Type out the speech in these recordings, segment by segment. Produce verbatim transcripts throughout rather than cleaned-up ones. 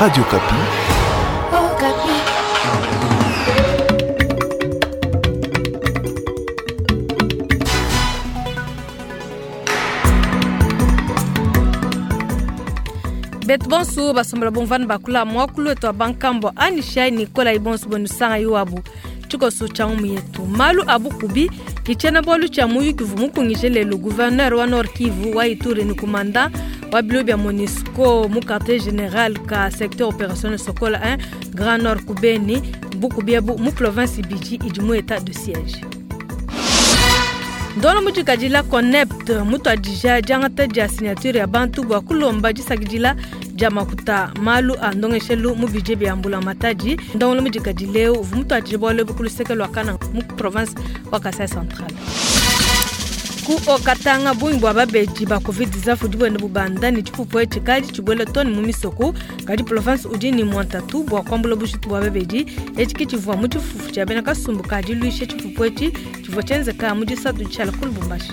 Radio Okapi. Okapi. Betu bonso basombola bomvana bakula mwakulu wetu wa bankambo anishai nikola ibonso bonusanga iwabu tshikoso tshia ngumu yetu malu abukubi kitshena bwalu tshia muyuki vumukungije lelo gouverneur wa Nord Kivu wa Ituri ni kumanda wa bilo bya MONUSCO mu quartier général ka secteur opérationnel Sokola un Grand Nord Kubeni bukubi bu mu province Biji idi mu état de siège. Ndolo mujikajila connect mutu adija diangata dia signature ya bantu bwa kulomba disakidila dia makuta malu a ndongeshelu mu budget bya mbula matadi. Ndolo mujikajileo mutu adija bwale bukuluseke lwa kana mu province wa Kasai Central. Ku okatanga bungi bwa babeji ba covid dix-neuf dibwene bubanda ni tshipupu etshi kadi tshibwele toni mu misoko kadi province udi ni mwantatu bwa kwambula bushitu bwa babeji etshi ke tshivua mu tshifufu tshia bena kasumbu kadi luishe tshipupu etshi tshivua tshienzeka mu disatu tshiala ku Lubumbashi.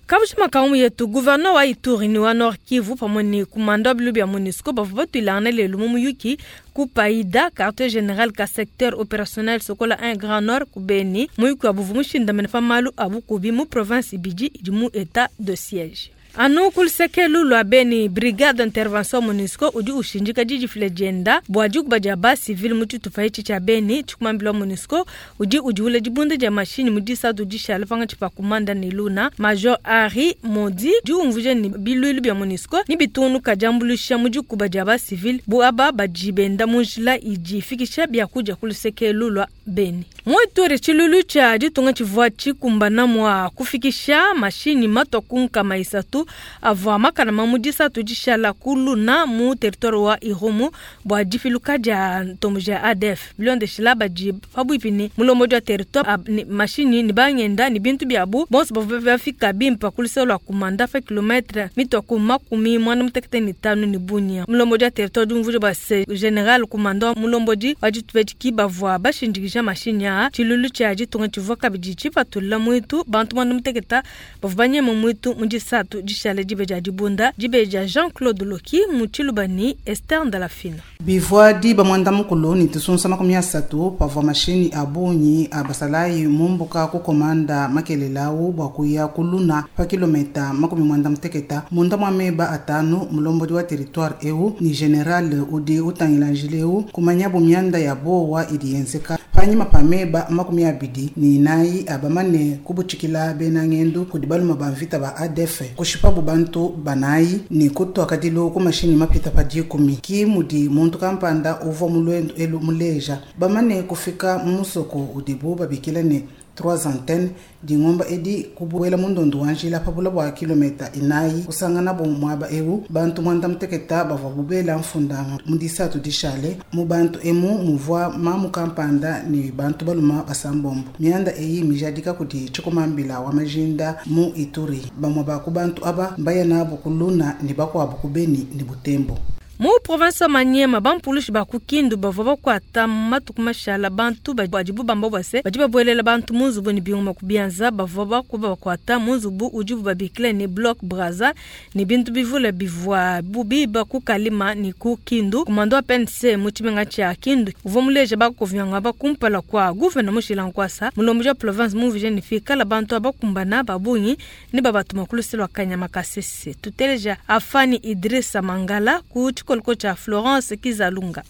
Kabushima kaumu yetu gouverneur wa Ituri ni wa Nord Kivu pamwe ni kumanda bilu bya MONUSCO bavua batuilangana lelo mu muyuki ku Paida quartier général ka secteur opérationnel Sokola un Grand Nord ku Beni muyuki wa buvu mushindamene pa malu abukubi mu province Biji idi mu état de siège. Anu kulisekelu lwa Beni brigade d'intervention MONUSCO udi ushinjika jiji file jenda bwa dikuba dia ba civil mu tshitupa etshi tshia Beni tshikumambila MONUSCO udi udiwula dibunda dia mashini mu disatu dishala panga tshipa kumanda ne Luna Major Henri Modi diumvuje ni biluilu bya MONUSCO ni bitunuka diambulusha mu dikuba dia ba civil bu aba badi benda mu njila idi ifikisha biakudia kulisekelu lwa Beni. Mu Ituri tshilulu tshia ditunga tshivua tshikumbana mua kufikisha mashini matwa ku nkama isatu avua makana ma mu disatu dishala ku Luna mu territoire wa Irumu bua difiluka dia ntombo dia A D F bilondeshila badi pabuipi ni mulombodi wa territoire ab, ni mashini ni bangenda ni bintu biabu bonso bavua bafika bimpa ku luseke lua kumanda pa kilometre mitwa ku makumi muanda mutekete ni tanu ni Bunia. Mulombodi wa territoire diumvuja bua se general kumanda wa mulombodi wa ditupetshi bavua bashindikija mashini aa tshilulu tshia ditunga tshivua kabidi tshipatula muitu bantu muanda muteketa bavua banyema muitu mu disatu dishala dibe dia dibunda dibe dia Jean-Claude Loki mu Tshilubani Esther Ndalafina. Bivua diba muanda mukulu ni tusunsa makumi asatu pavua mashini abunyi abasalayi mumbuka ku komanda makelelawu bua kuya ku Luna pa kilometa makumi muanda muteketa munda mua meba atanu mulombodi wa territoire eu ni general udi utangila njileu kumanyabu mianda ya bowa idi yenzeka panyima pa meba makumi abidi ni inayi abamane kubutshikila bena ngendu kudi baluma ba mvita ba A D F kushipabu bantu banayi ni kutwa kadilu ku mashini mapita pa dikumi ki mudi muntu kampanda uvua mulwendu elu muleja bamane kufika mu musoko udibu babikila ne trois antennes dingomba edi kubuela mundondo wa njila pabula bua kilometa inayi kusangana bo muaba eu bantu muanda muteketa bavua bubela mfundanga mu disatu dishale mu bantu emu muvua mamu kampanda ni bantu baluma basambombo mianda eyi mijadika kudi tshikumambila wa majinda mu Ituri bamwe ba ku bantu aba mbaya nabo ku Luna ni bakuabu ku Beni ni Butembo. Mu province Maniema bampulushi ba ku Kindu bavua bakuata matuku mashala bantu badibu bamba bwase badi babuelela bantu mu nzubu ni biuma ku bianza bavua bakuba bakuata mu nzubu udibu babikila ni bloc Braza ni bintu bivule bivua bubiba ku Kalima ni ku Kindu. Komando wa P N C mu tshimenga tshia Kindu uvua muleja bakuvyanga bakumpala kwa gouverneur Mushila Nkwasa mulomboji wa province muvije ni fikala bantu abakumbana babungi ni babatuma ku luselo lwa Kanyama Kasese. Tuteleja Afani Idrissa Mangala ku tshikolo cha Florence Kizalunga.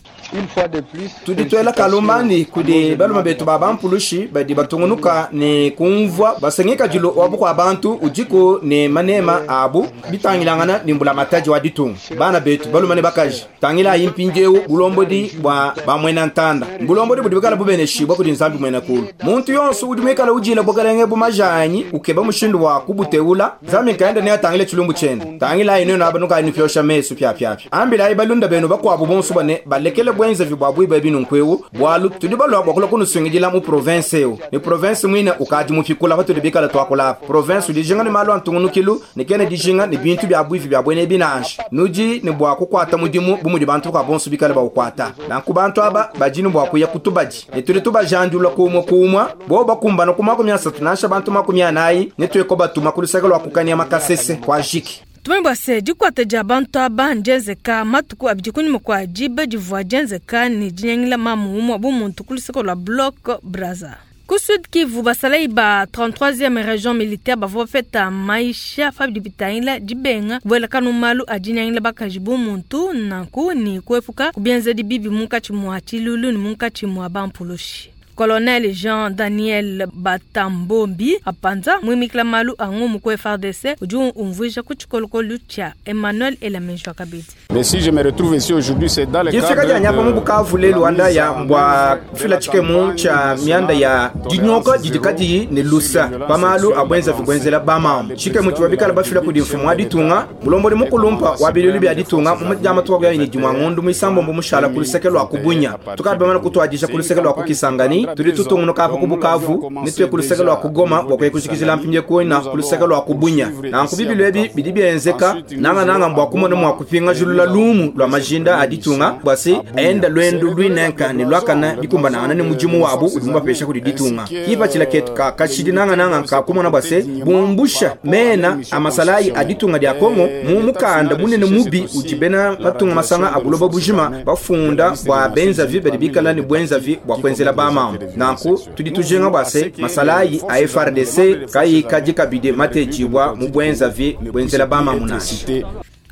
Tuditwela kalumani kudi baluma betu ba bampulushi badi batungunuka ne kumvua basengeka dilo wa bukua bantu udiku ne manema abu bitangilangana ni mbula mataji wa ditunga bana betu baluma ne bakaji tangila impinjeu bulombodi bwa bamwena ntanda bulombodi budi bikala bubeneshibwa kudi nzambi mwena kulu muntu yonso udi mwikala ujila bukalenge bumajanyi ukeba mushindu wa kubuteula zambi nkaenda ne atangile chilumbu chenda tangila ino na banuka ni fyosha mesu pya pya pya ambila Dimujai balunda benu bakuabu bonso bane balekele bwenzevi bua buiba binunku bwalu tudi balwa bua kulua kunusungidila mu province eu ne province mwine ukadi mupikula patudi bikala tuakula province dijinga ne malu antungunukilu ne kene dijinga ne bintu bia buivi bia bwene binanji nudi ne bua kukwata mudimu bumudi bantu kwa bonso bikala baukwata nanku bantu aba badi ne bua kuya kutubadi ne tudi tubajandula kumwe kumwa bo bakumbana ku makumi asatu nansha bantu makumi anayi ne tueko batuma ku luseke lwa kukania makasese kwa jiki. Tumanye bua se dikuata dia bantu aba ndienzeka matuku abidi kunyima kua diba divua dienzeka ne dinyangila mamu umue bu muntu ku luseke lua Bloc Brazza. Ku Sud Kivu basalayi ba trente-troisième région militaire bavua bapeta maisha pa bidi bitangila dibenga kubuelakana malu a dinyangila bakaji bu muntu nanku ne kuepuka kubienzedi bibi munkatshi mua tshilulu ne munkatshi mua bampulushi. Colonel Jean Daniel Batambombi apanza muimikila malu a ngumu ku F R D C udi umvuija ku tshikolokolo tshia Emmanuel Elamejo Kabedi. Mais si je me retrouve ici aujourd'hui, c'est dans le cadre de nyapa mu Bukavu lelu wanda ya mbwa fila tshikemu tshia mianda ya dinyoka didikadi ne lusa pamalu abwenza vibwenzela bamama tshikemu tshivua bikala bafila kudi mfumu wa ditunga mulombodi mukulumpa wa bilulu bia ditunga mu madiama tuwa ni dimwa ngondu muisambombo mushala ku luseke lwa kubunya tukadi bamana kutuadisha ku luseke lwa kukisangani tudi tutungunuka apa ku Bukavu ne tuye ku luseke lwa kugoma bua kuya kujikijila mpindie kuina ku luseke lwa kubunya nanku bibilu ebi bidi bienzeka nanga nanga mbwa kumona mua kupinga julula lumu lwa majinda a ditunga bua se enda lwendo lwinenka ne lwakana bikumbanangana ne mudimu wabu udi mubapesha kudi ditunga kipatshila ketu ka kashidi nanga nanga ka kumona bua se bumbusha mena amasalayi a ditunga dia Kongo mu mukanda munene mubi udi bena matunga masanga a buloba bujima bafunda bua benzavi badi bikala ne bwenzavi bua kuenzela bamama. Nanku tudi tujenga bua se masalayi a F R D C kayi kadi kabidi matejibwa mu bwenzavi bwenzela bamama nashi.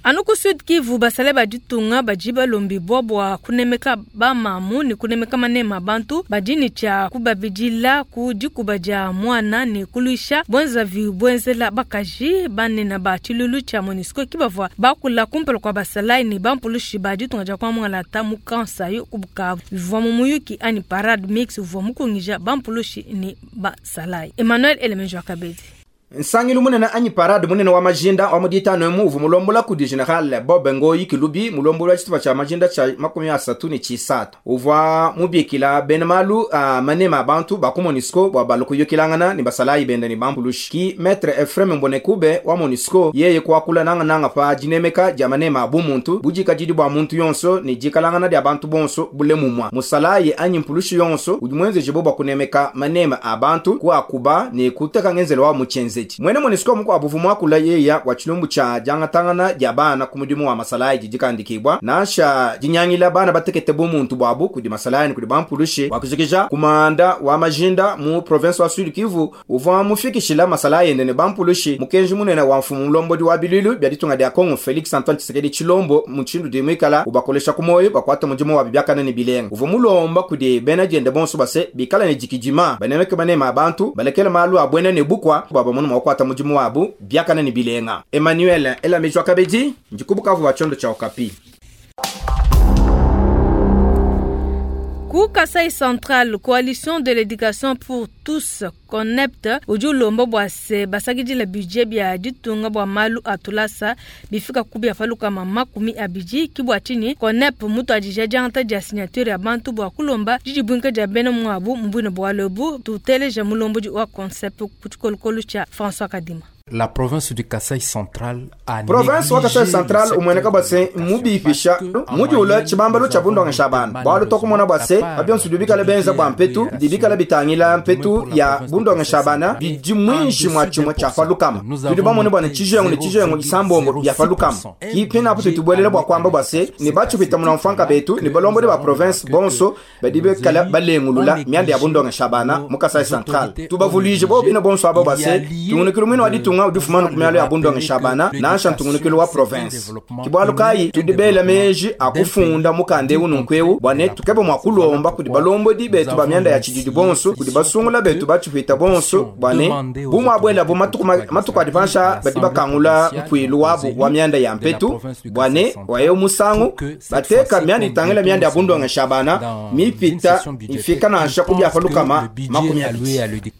Anu ku Sud Kivu basale ba ditunga badi balombibwa bua kunemeka bamamu ne kunemeka manema bantu badi ne tshia kubabidila ku dikuba dia mwana ne kuluisha bwenzavi bwenzela bakaji banene ba tshilulu tshia MONUSCO kibavua bakula kumpala kua basalai ne bampulushi ba ditunga dia kuamualata mu Kansayo ku Bukavu bivua mu muyuki ani parade mix uvua mukungija bampulushi ne basalai. Emmanuel Elemenjo Kabedi. Nsangilu munene anyi parade munene wa majinda wa muditano emu uvu mulombola kudi General Bob Ngoyi Kilubi mulombola tshitupa tshia majinda tshia makumi asatu ne tshisatu uvua mubikila bena malu a manema abantu ba ku MONUSCO bua balu kuyukilangana ne basalayi benda ne bampulushi ki Maître Ephraim Mbonekube wa MONUSCO yeye kuakula nanga nanga pa dinemeka dia manema bu muntu budikadidi bua muntu yonso ne dikalangana dia bantu bonso bule mumwa musalayi anyi mpulushi yonso udi mwenzeje bo bua kunemeka manema a bantu kuakuba ne kuteka ngenzelo wa muchenze. Mwene MONUSCO muku abuvu mwakula yeya wa chilumbu cha jangatangana dia bana ku mudimu wa masalayi didikandikibwa nasha dinyangila bana batekete bu muntu bwabu kudi masalayi kudi bampulushi wakujikija kumanda wa majinda mu province wa Sud Kivu uvua mufikishila masalayi ne bampulushi mukenji munene wa mfumu mulombodi wa bilulu bya ditunga dia Kongo Felix Antoine Tshisekedi Tshilombo muchindu dimwikala ubakolesha kumoyo bakwata mudimu wa bibyakana ne bilenga uvua mulomba kudi bena diende bonso base bikala ne dikidima banemeke banema abantu balekela malu abwene ne bukwa baba munu mwakwata mudimu wabu biakana ni bilenga. Emmanuel Elamejwa Kabedi ndikubukavu wa chondo cha Okapi. Ku Kasai Central, Coalition de l'éducation pour tous Connect udi ulomba bua se basakidila budget bia ditunga bua malu atulasa bifika ku bia paluka makumi abidi ki bua tshinyi Connect mutu adija diangata dia signature ya bantu bua kulomba didibwinka dia bena muabu mubwine bua lobu tuteleja mulombodi wa concept ku tshikolokolo tshia François Kadima. La province du Kasai Central a province wa Kasai Central umweneka base mubipisha mudiula tshibambalo tshia bundonga shabana bwalu tokumona base abyonso bikala benza bwa mpetu dibikala bitangila mpetu ya bundonga shabana bidi mwinshi mwa tshimwe tshia falukama tudi bamone bwana tshijengo ne tshijengo isambombo bya falukama kipina apo tutubwelela bwa kwamba base ne batshupita muna mfanka betu ne balombodi ba province bonso badi bekala balengulula mianda ya bundonga shabana mu Kasai Central tubavulije bo bino bonso abo base tungunukilo mwino wa ditunga udufumana kumyalo ya bundonga shabana nansha ntungunukilo wa province kibwalu kayi tudibela meji akufunda mukande ununkwewu bwane tukebe mwa kulomba kudi balombodi betu ba myanda ya tshididi bonso kudi basungula betu batshupita bonso bwane bumwa bwela bu matuku matuku adipansha badi bakangula mpwilu wabu wa myanda ya mpetu bwane wayo musangu bateka myanda itangela myanda ya bundonga shabana mipita ifika nansha kubya falukama makumi abili.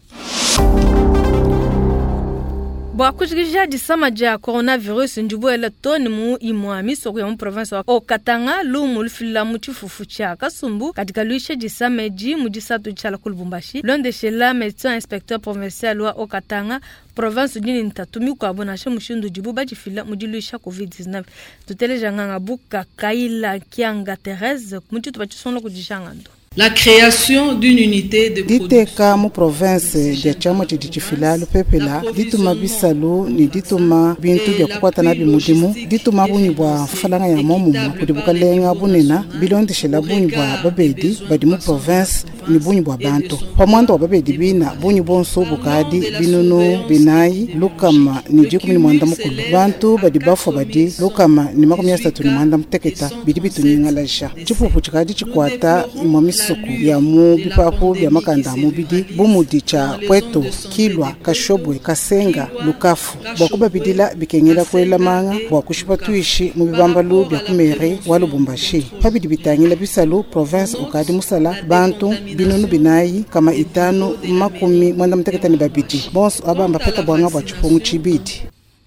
Bua kujikija disama dia coronavirus ndibuela too ne mu imue misoko ya mu province wa Haut-Katanga lumu lufila mu tshifufu tshia kasumbu kadi kaluisha disama edi mu disatu tshiala ku Lubumbashi londeshela médecin inspecteur provincial wa Haut-Katanga province udi ne ntatu mikuabu nansha mushindu udibu badifila mu diluisha covid dix-neuf. Tuteleja nganga buka Kaila Kianga Therese mu tshitupa tshisongola kudi Jangando. La création d'une unité de diteka mu province dia tshiamua tshidi tshifila lupepela dituma bisalu ne dituma bintu bia kukwata nabi mudimu dituma bungi bua mfalanga ya momumue kudi bukalenga bunena bilondeshela bungi bua babedi badi mu province ne bungi bua bantu pa muanda wa babedi bina bungi bonso bukadi binunu binayi lukama ne dikumi ne muanda mukulu bantu badi bafua badi lukama ne makumi asatu ne muanda muteketa bidi bitunyingalaja tshipupu tshikadi tshikwata imue misoko ya mu bipapu bia makanda a mubidi bu mudi tshia Pweto, Kilwa, Kashobwe, Kasenga, Lukafu bua kubabidila bikengela kuela manga bua kushipa tuishi mu bibambalu bia ku mairie wa Lubumbashi pabidi bitangila bisalu province ukadi musala bantu binunu binayi kama itanu makumi muanda muteketa ne babidi bonso aba mbapeta bwanga bua tshipungu tshibidi.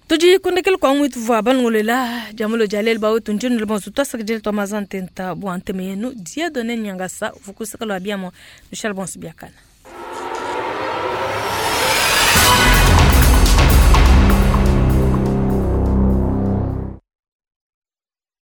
Tudi kundekela kwa mwitu vwa balongolela jamulo jalel bawe tunjinu le bonso twasakidile twa mazantenta bua nteme yenu Dieudonné Nyangasa vukusaka lwa biamo Michel Bonso biakana.